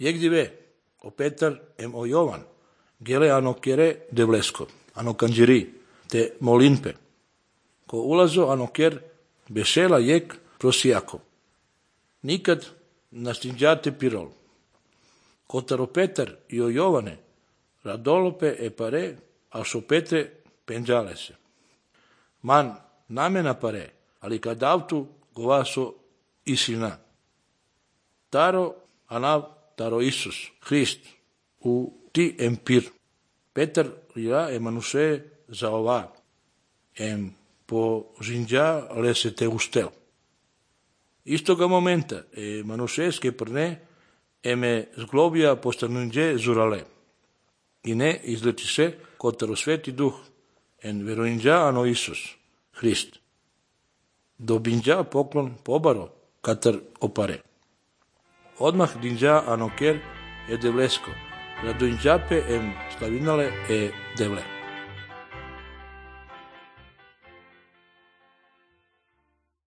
Jegdive, o Petar em o Jovan, gele ano kere devlesko, ano kanđiri, te molinpe, ko ulazo ano ker besela jek prosijako. Nikad nastinđate pirol. Kotaro Petar i o Jovane, radolope e pare, a šopete penđale se. Man namena pare, ali kad avtu govaso isina. Taro anav taro Isus, Hrist, u ti empir. Petar ja emanuse za ova, po žinđa lese te ustel. Istoga momenta manušeske prne eme zglobija postanunđe zurale. I ne izleči se kotaro sveti duh, en veroinđa ano Isus, Hrist. Dobinđa poklon pobaro, katar opare. Odmah dinđa ano ker e devlesko, radoinđape em slavinale e devle.